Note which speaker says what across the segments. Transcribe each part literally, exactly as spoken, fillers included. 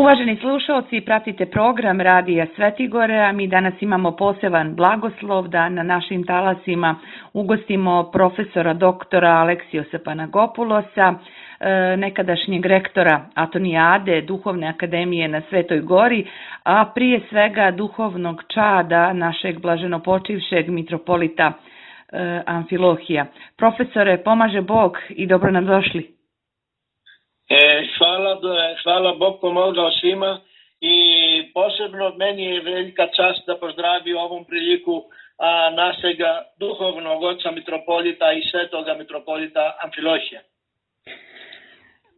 Speaker 1: Uvaženi slušalci, pratite program Radija Svetigore, a mi danas imamo poseban blagoslov da na našim talasima ugostimo profesora doktora Aleksijosa Panagopulosa, nekadašnjeg rektora Atonijade, Duhovne akademije na Svetoj Gori, a prije svega duhovnog čada našeg blaženopočivšeg mitropolita Amfilohija. Profesore, pomaže Bog i dobro nam došli.
Speaker 2: E, hvala, hvala Bog pomogao svima i posebno meni je velika čast da pozdravim ovom priliku a, našega duhovnog oca mitropolita i svetoga mitropolita Amfilohija.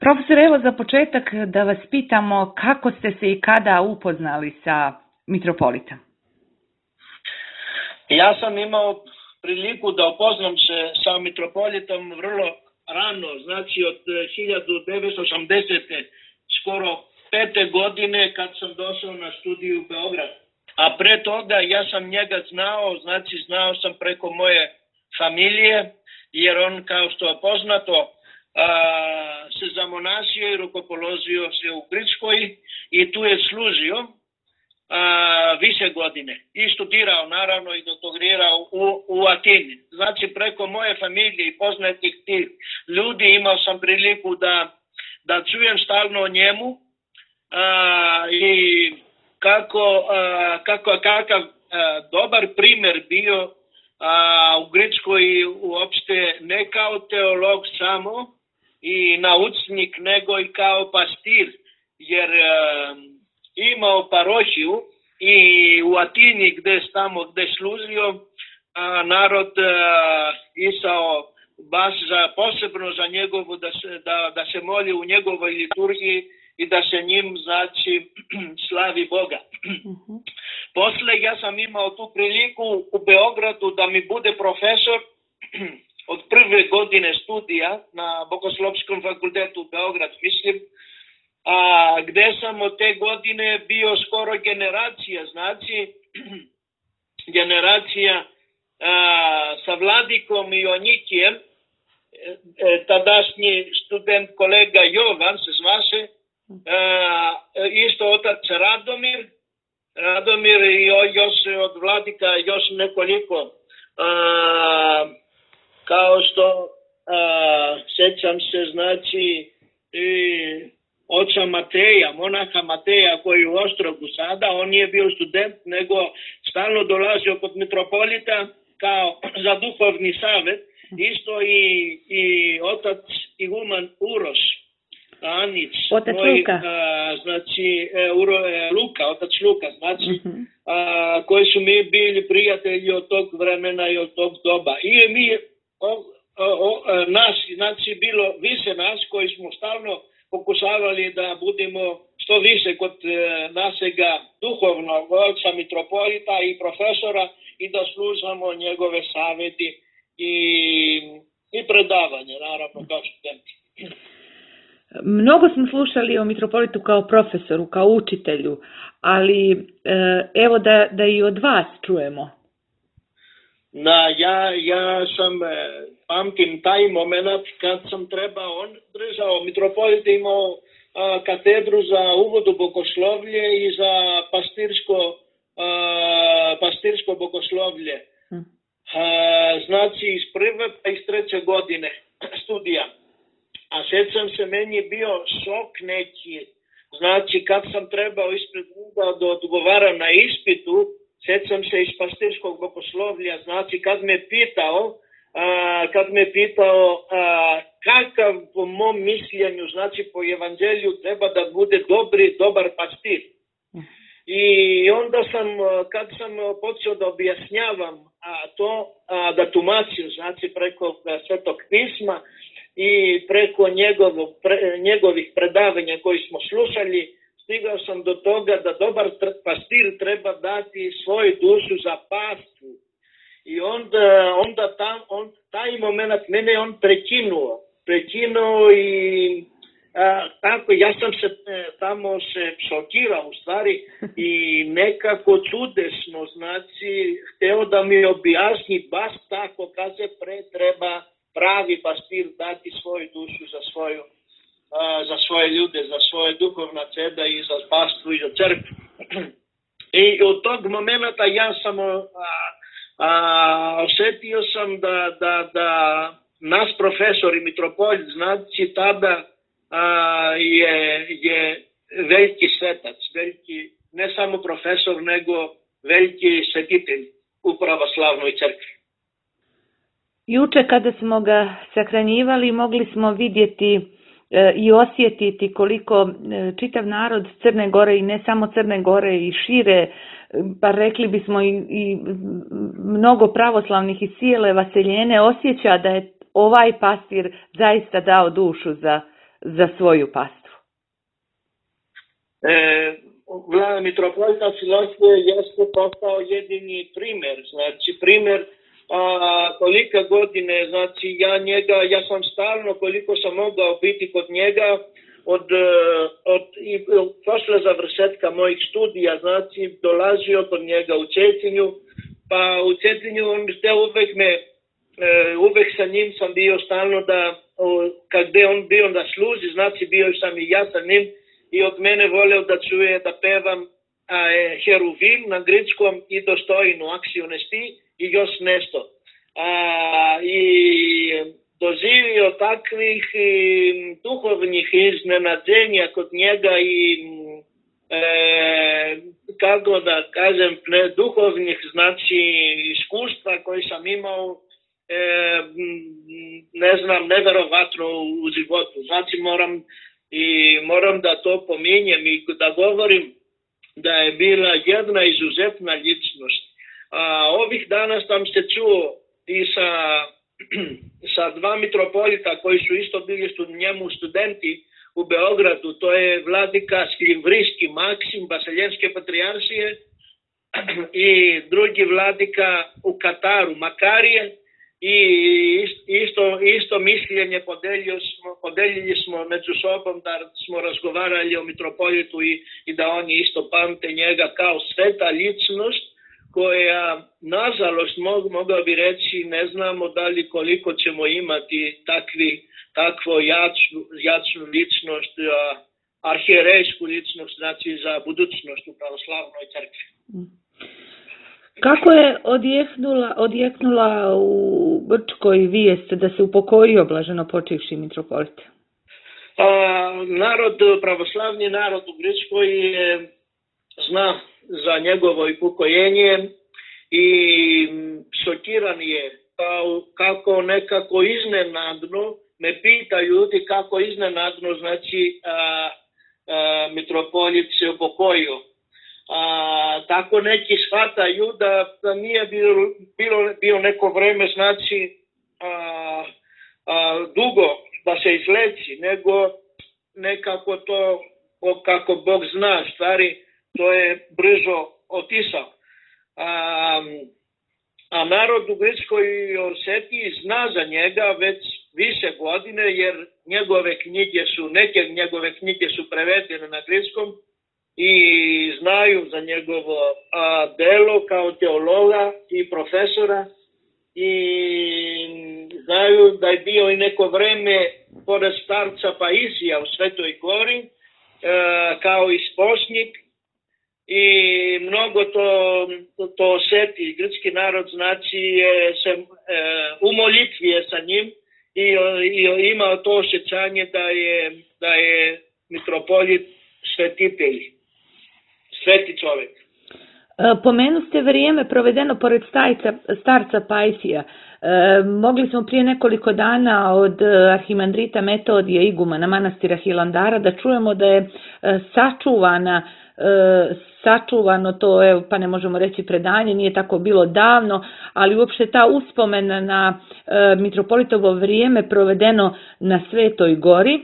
Speaker 1: Profesor, evo za početak da vas pitamo kako ste se i kada upoznali sa mitropolitom?
Speaker 2: Ja sam imao priliku da upoznam se sa mitropolitom vrlo rano, znači od hiljadu devetsto osamdesete skoro pete godine kad sam došao na studiju u Beograd. A pre toga ja sam njega znao, znači znao sam preko moje familije, jer on kao što je poznato a, se zamonasio i rukopoložio se u Grčkoj i tu je služio a, više godine i studirao naravno i doktorirao u, u Atini. Znači preko moje familije i poznatih tih ljudi imao sam priliku da, da čujem stalno o njemu a, i kako, a, kako kakav a, dobar primjer bio a, u Grčkoj i uopšte ne kao teolog samo i naučnik nego i kao pastir, jer a, imao parohiju i u Atini gde tamo gde služio a, narod a, isao baš za, posebno za njegovu da se, da, da se moli u njegovoj liturgiji i da se njim znači slavi Boga. Uh-huh. Posle ja sam imao tu priliku u Beogradu da mi bude profesor od prve godine studija na Bogoslovskom fakultetu u Beograd, mislim, a gde sam od te godine bio skoro generacija, znači generacija a, sa Vladikom i Onikijem, e, tadašnji student kolega Jovan se zvaše, a, isto otac Radomir, Radomir i još od Vladika još nekoliko, a, kao što a, sećam se, znači i oca Mateja, monaha Mateja koji je u Ostrogu sada, on nije bio student, nego stalno dolazio kod mitropolita kao za duhovni savjet, isto i, i otac Iguman Uroš, Anić,
Speaker 1: otac
Speaker 2: moj,
Speaker 1: Luka.
Speaker 2: A, znači e, Uro, e, Luka, otac Luka, znači, uh-huh. a, koji su mi bili prijatelji od tog vremena i od tog doba. I mi, o, o, o, nas, znači bilo više nas koji smo stalno pokušavali da budemo što više kod e, našega duhovnog oca mitropolita i profesora i da slušamo njegove savjeti i, i predavanje, naravno, kao studenti.
Speaker 1: Mnogo smo slušali o mitropolitu kao profesoru, kao učitelju, ali e, evo da, da i od vas čujemo.
Speaker 2: Na, ja, ja sam, e, pamtim taj moment kad sam trebao, on držao, mitropolit imao a, katedru za uvod u bogoslovlje i za pastirsko, a, pastirsko bogoslovlje. A, znači iz prve pa iz treće godine studija. A sjećam se, meni je bio šok neki, znači kad sam trebao ispred njega da odgovaram na ispitu, sjećam se iz pastirskog bogoslovlja, znači kad me pitao, a, kad me pitao a, kakav po mom mišljenju, znači po evanđelju treba da bude dobri, dobar pastir. I onda sam, kad sam počeo da objašnjavam a, to, a, da tumačim, znači preko Svetog pisma i preko njegovo, pre, njegovih predavanja koji smo slušali, stigao sam do toga da dobar pastir treba dati svoju dušu za pastvu. I onda, onda tam, on, taj moment mene on prekinuo. Prekinuo i a, tako, ja sam se tamo se šokirao u stvari i nekako čudesno, znači, hteo da mi objasni baš tako kad se pre treba pravi pastir dati svoju dušu za svoju a, za svoje ljude, za svoje duhovna ceda i za pastvu i za crkvu. I od tog momenta ja sam a, a, osjetio sam da, da, da nas profesor i mitropolit, znači tada a, je, je veliki svetac, veliki, ne samo profesor, nego veliki svetitelj u pravoslavnoj crkvi.
Speaker 1: Juče kada smo ga sahranjivali mogli smo vidjeti e, i osjetiti koliko e, čitav narod Crne Gore i ne samo Crne Gore i šire, pa rekli bismo i, i mnogo pravoslavnih i cijele Vaseljene osjeća da je ovaj pastir zaista dao dušu za, za svoju pastvu.
Speaker 2: E, Vlada mitropolita Filohije jeste postao jedini primjer, znači primjer a, kolika godine, znači ja njega, ja sam stalno koliko sam mogao biti kod njega od, od i, posle završetka mojih studija, znači dolazio kod njega u Cetinju, pa u Cetinju on te uvek me, uvek sa njim sam bio stalno da, kad je on bio da služi, znači bio sam i ja sa njim, i od mene voleo da čuje da pevam a, e, Heruvim na grčkom i Dostojnu akciju nesti i još nešto. A, I doživio takvih i, duhovnih iznenađenja kod njega i e, kako da kažem, ne, duhovnih znači iskustva koje sam imao, e, ne znam, neverovatno u životu. Znači moram I moram da to pominjem i da govorim da je bila jedna izuzetna ličnost. A, ovih dana sam se čuo i sa, sa dva mitropolita koji su isto bili stud, njemu studenti u Beogradu. To je vladika Skljivrijski Maksim, Vaseljenske patrijaršije, i drugi vladika u Kataru, Makarije. I isto, isto mišljenje podelili smo, podelili smo među sobom da smo razgovarali o mitropolitu i, i da oni isto pamte njega kao sveta ličnost koja, nažalost, mogu, mogao bi reći, ne znamo da li koliko ćemo imati takvi, takvo jačnu, jačnu ličnost, arhijerejsku ličnost, znači za budućnost u pravoslavnoj crkvi.
Speaker 1: Kako je odjeknula, odjeknula u Grčkoj vijest da se upokojio blaženopočivši mitropolit?
Speaker 2: A, narod, pravoslavni narod u Grčkoj je, zna za njegovo upokojenje i šokiran je kao, kako nekako iznenadno, me pita ljudi kako iznenadno, znači a, a, mitropolit se upokojio. A, tako neki shvataju da, da nije bilo, bilo, bilo neko vreme, znači a, a, dugo da se izleči, nego nekako to, kako Bog zna stvari, to je brzo otisao. A, a narod u Grčkoj i Osetiji zna za njega već više godine, jer njegove knjige su, neke njegove knjige su prevedene na grčkom, i znaju za njegovo a, delo kao teologa i profesora, i znaju da je bio i neko vreme pored starca Paisija u Svetoj Gori a, kao isposnik, i mnogo to, to, to osjeti. Grčki narod znači je se, e, u molitvi je sa njim i, i imao to osjećanje da je, da je mitropolit svetitelj. Sveti čovjek.
Speaker 1: Pomenu ste vrijeme provedeno pored stajca, starca Paisija. E, mogli smo prije nekoliko dana od arhimandrita Metodija igumana manastira Hilandara da čujemo da je e, sačuvana, e, sačuvano to, evo, pa ne možemo reći predanje, nije tako bilo davno, ali uopšte ta uspomena na e, mitropolitovo vrijeme provedeno na Svetoj Gori,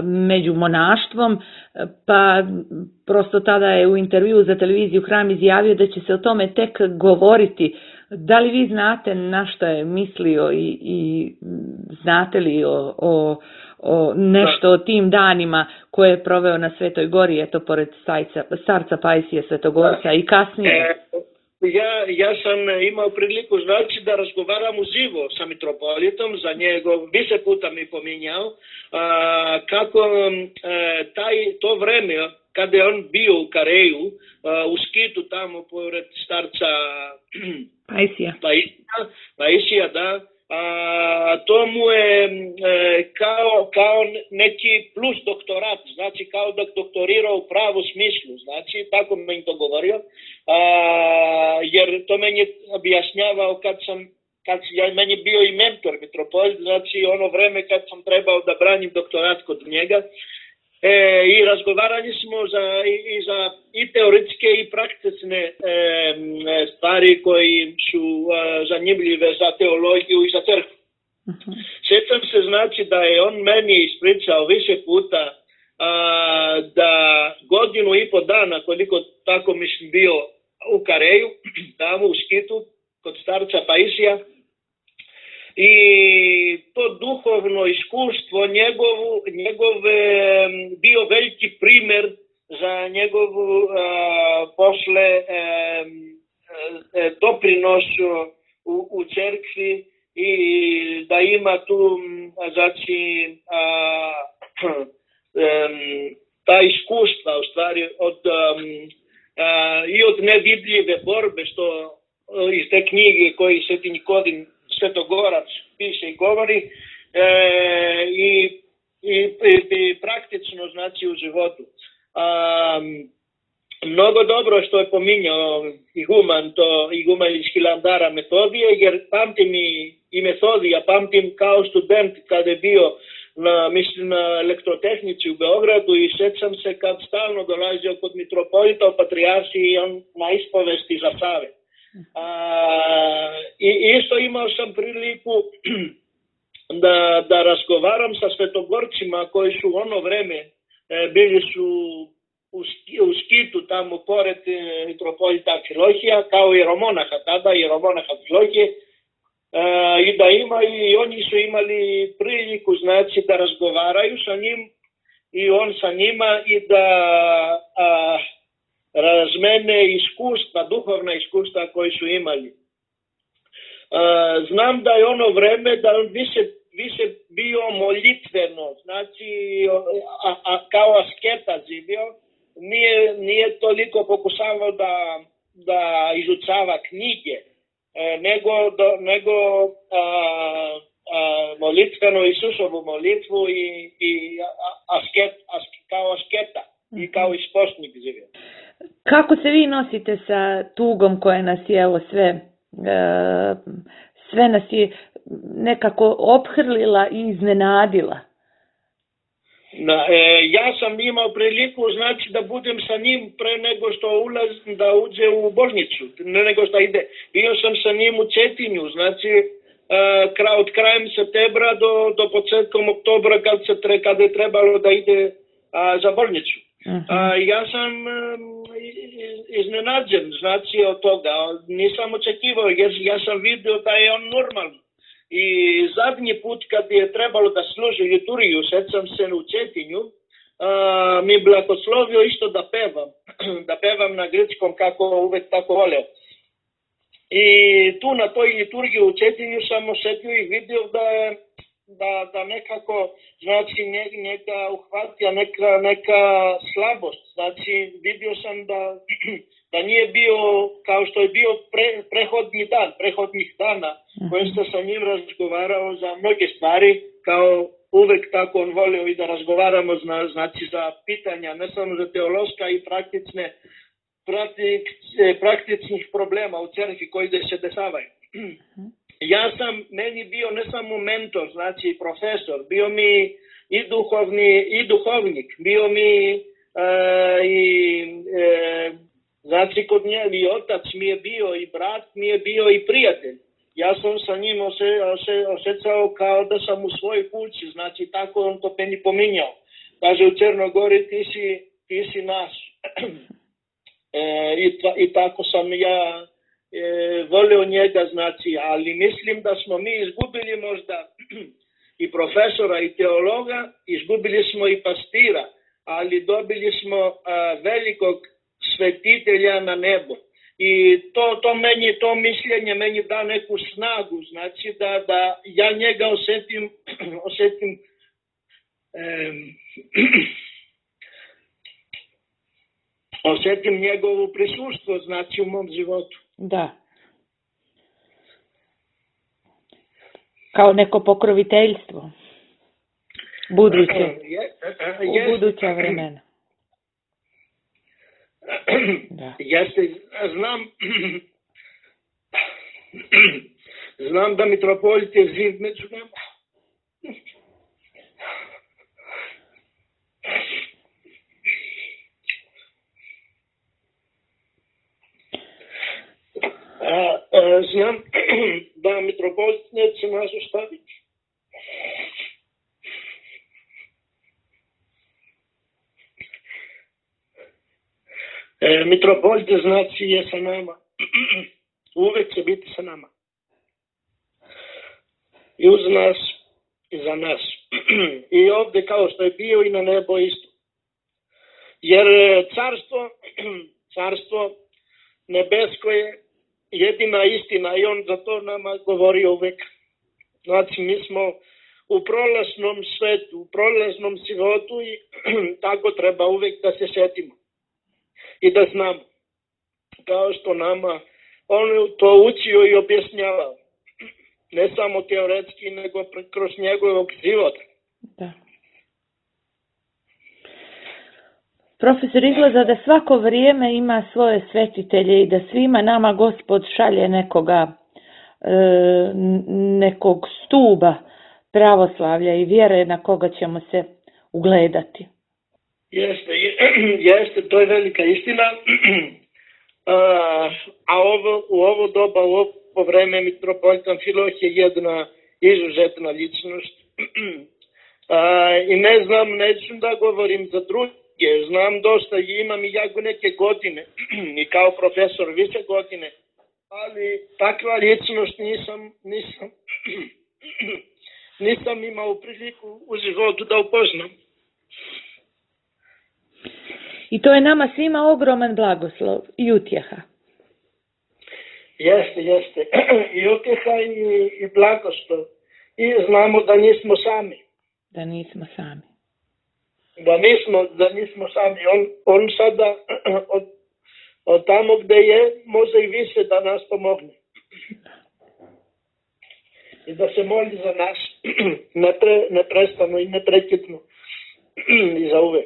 Speaker 1: među monaštvom, pa prosto tada je u intervju za televiziju Hram izjavio da će se o tome tek govoriti. Da li vi znate na što je mislio i, i znate li o, o, o nešto o tim danima koje je proveo na Svetoj Gori, eto pored stajca, starca Paisija Svetogorca i kasnije?
Speaker 2: Ja, ja sam imao priliku znači da razgovaram uživo sa mitropolitom, za njegov, više puta mi pominjao, a, kako a, taj, to vreme kada je on bio u Kareju, a, u Skitu tamo pored starca
Speaker 1: Paisija.
Speaker 2: Paisija, Paisija, da, a, to mu je e, kao, kao neki plus doktorat, znači kao da doktorirao u pravu smislu, znači tako mi to govorio, a, jer to meni objašnjavao kad sam, kad ja, meni bio i mentor mitropolit, znači ono vreme kad sam trebao da branim doktorat kod njega. E, I razgovarali smo za, i, i za i teoretske i praktične e, stvari koji su e, zanimljive za teologiju i za crkvu. Uh-huh. Sjećam se znači da je on meni ispričao više puta a, da godinu i po dana, koliko tako mislim bio u Kareju, tamo u Skitu, kod starca Paisija, i to duhovno iskustvo njegovu, njegov e, bio veliki primjer za njegovu a, posle e, e, doprinos u, u cerkvi i da ima tu znači a, e, ta iskustva u stvari od, a, i od nevidljive borbe što iz te knjige koji Sveti Nikodin Svetogorac piše i govori e, i, i, i praktično znači u životu. A, mnogo dobro što je pominjao iguman, to iguman iz Hilandara Metodije, jer pamtim i, i Metodija, pamtim kao student kada je bio na, mislim, na elektrotehnici u Beogradu i sjećam se kad stalno dolazio kod mitropolita u Patrijaršiji i on na ispovesti za Save. A, i isto imao sam priliku da, da razgovaram sa svetogorcima koji su u ono vreme e, bili su u, u Skitu tamo pored e, mitropolita Amfilohija kao jeromonaha tada, jeromonaha Amfilohije e, i da ima i oni su imali priliku znači da razgovaraju sa njim i on sa njima i da a, razmene iskustva, duhovna iskustva koji su imali. A, znam da je ono vreme da on više, više bio molitveno, znači a, a, kao asketa živio, nije, nije toliko pokušavao da, da izučava knjige, e, nego, do, nego a, a, molitveno Isusovu molitvu i, i asket, asket, kao asketa i kao isposnik živio.
Speaker 1: Kako se vi nosite sa tugom koja nas je evo sve, e, sve nas je nekako ophrlila i iznenadila?
Speaker 2: Na, e, ja sam imao priliku znači da budem sa njim pre nego što ulaz, da uđe u bolnicu, ne nego što ide. Bio sam sa njim u Cetinju, znači e, kra, od krajem septembra do, do početkom oktobra kad, se tre, kad je trebalo da ide a, za bolnicu. Uh-huh. A, ja sam um, iznenađen znači od toga, nisam očekivao jer ja sam vidio da je on normalan. I zadnji put kad je trebalo da služi liturgiju, sjećam se u Cetinju, a, mi blagoslovio isto da pevam, da pevam na grčkom kako uvek tako voleo. I tu na toj liturgiji u Cetinju sam osjetio i vidio da je Da, da nekako, znači, njega uhvatila neka, neka slabost. Znači, vidio sam da, da nije bio, kao što je bio pre, prehodni dan, prehodnih dana, koje sam sa njim razgovarao za mnoge stvari, kao uvek tako on volio i da razgovaramo, zna, znači, za pitanja, ne samo za teološka i praktične, praktik, praktičnih problema u crkvi koji se dešavaju. Ja sam, meni bio ne samo mentor, znači profesor, bio mi i duhovni, i duhovnik, bio mi e, i, e, znači kod nje i otac mi je bio, i brat mi je bio, i prijatelj. Ja sam sa njim ose, ose, osjećao kao da sam u svojoj kući, znači tako on to meni pominjao. Kaže u Crnogori ti si, ti si naš. E, i, I tako sam ja E, volio njega, znači, ali mislim da smo mi izgubili možda i profesora i teologa, izgubili smo i pastira, ali dobili smo a, velikog svetitelja na nebu. I to, to meni, to mišljenje meni da neku snagu, znači da, da ja njega osjetim, osjetim em, osjetim njegovu prisustvo, znači u mom životu.
Speaker 1: Da. Kao neko pokroviteljstvo. Buduće. U buduća vremena. Da.
Speaker 2: Jeste, znam, znam da mitropolit je živ među nama. A, a, znam da mitropolit neće nas ostaviti. E, mitropolit znači je sa nama. Uvek će biti sa nama. I uz nas i za nas. I ovdje kao što je bio i na nebo isto. Jer carstvo, carstvo nebesko je jedina istina i on za to nama govori uvek. Znači mi smo u prolaznom svetu, u prolaznom životu i tako treba uvek da se sjetimo. I da znamo, kao što nama on to učio i objašnjavao. Ne samo teoretski, nego kroz njegovog života.
Speaker 1: Da. Profesor, izgleda da svako vrijeme ima svoje svetitelje i da svima nama Gospod šalje nekoga, nekog stuba pravoslavlja i vjere na koga ćemo se ugledati.
Speaker 2: Jeste, jeste, to je velika istina. A, a ovo, u ovo doba, u ovo vreme mitropolit Amfilohije je jedna izuzetna ličnost. A, I ne znam, neću da govorim za druge, znam dosta i imam i ja neke godine i kao profesor više godine, ali takva ličnost nisam, nisam, nisam imao priliku u životu da upoznam.
Speaker 1: I to je nama svima ogroman blagoslov i utjeha.
Speaker 2: Jeste, jeste. I utjeha i, i blagoslov. I znamo da nismo sami.
Speaker 1: Da nismo sami.
Speaker 2: Da nismo, da nismo sami. On, on sada od, od tamo gde je može i više da nas pomogne. I da se moli za nas. Nepre, neprestano i neprekidno. I za uvek.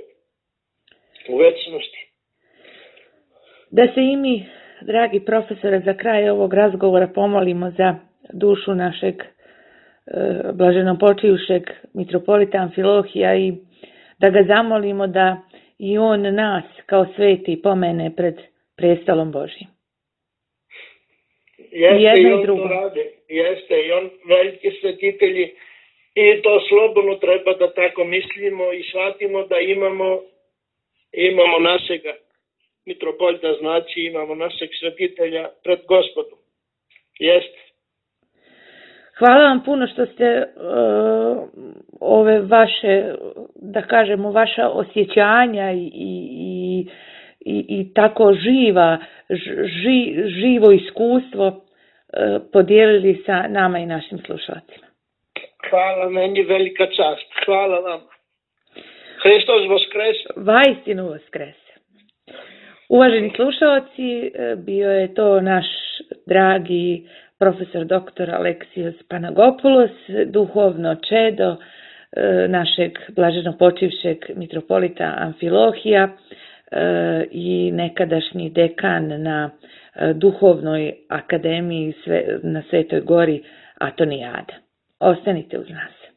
Speaker 2: U večnosti.
Speaker 1: Da se i mi, dragi profesore, za kraj ovog razgovora pomolimo za dušu našeg e, blaženopočijušeg mitropolita Amfilohija i da ga zamolimo da i on nas kao sveti pomene pred prestolom Božjim.
Speaker 2: Jeste, i jedno i on drugo. To rade. Jeste, i on veliki svetitelji i to slobodno treba da tako mislimo i shvatimo da imamo imamo našega mitropolita, znači imamo našeg svetitelja pred Gospodom. Jeste.
Speaker 1: Hvala vam puno što ste uh, ove vaše, da kažemo, vaša osjećanja i, i, i, i tako živa, ži, živo iskustvo uh, podijelili sa nama i našim slušalcima.
Speaker 2: Hvala, meni velika čast. Hvala vam. Hristos Voskrese.
Speaker 1: Vaistinu Voskrese. Uvaženi slušalci, bio je to naš dragi profesor doktor Aleksios Panagopoulos, duhovno čedo našeg blaženopočivšeg mitropolita Amfilohija i nekadašnji dekan na duhovnoj akademiji na Svetoj gori Atonijada. Ostanite uz nas.